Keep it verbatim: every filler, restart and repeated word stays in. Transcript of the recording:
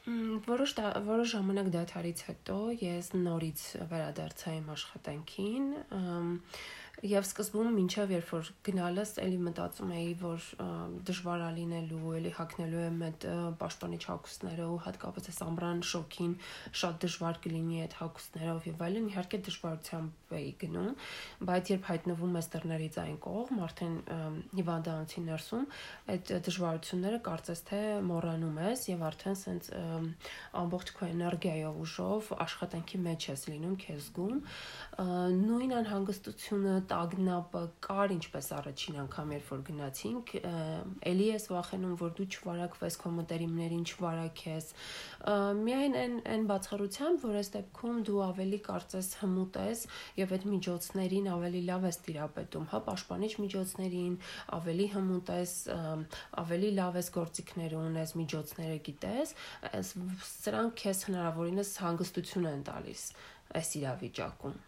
Որոշ որոշ ժամանակ դադարից հետո ես նորից վերադարձա իմ աշխատանքին եւ սկզբում մինչեւ երբ որ գնալս էլի մտածում էի որ դժվար է լինելու էլի հագնելու եմ այդ պաշտպանիչ հագուստները ու հատկապես այս ամռան շոկին շատ դժվար կլինի այդ հագուստներով եւ այլն իհարկե դժվարությամբ էի գնում բայց երբ հայտնվում ես դռներից այն կողմ արդեն հիվանդանոցի ներսում այդ դժվարությունները կարծես թե մոռանում ես եւ արդեն սենց ամբողջ քո էներգիայով ուժով աշխատանքի մեջ ես լինում քեզ զգում նույն անհանգստությունը տագնապը կար ինչպես առաջին անգամ երբ որ գնացինք էլի ես վախենում որ դու չվարակվես քո մտերիմներին չվարակես միայն այն այն բացառությամբ որ այս դեպքում դու ավելի կարծես հմուտ ես եւ այդ միջոցներին ավելի լավ ես տիրապետում հա պաշտպանիչ միջոցներին ավելի հմուտ ես ավելի լավ ես գործիքներ ունես միջոցները գիտես սրանք քեզ հնարավորինս հանգստություն են տալիս այս իրավիճակում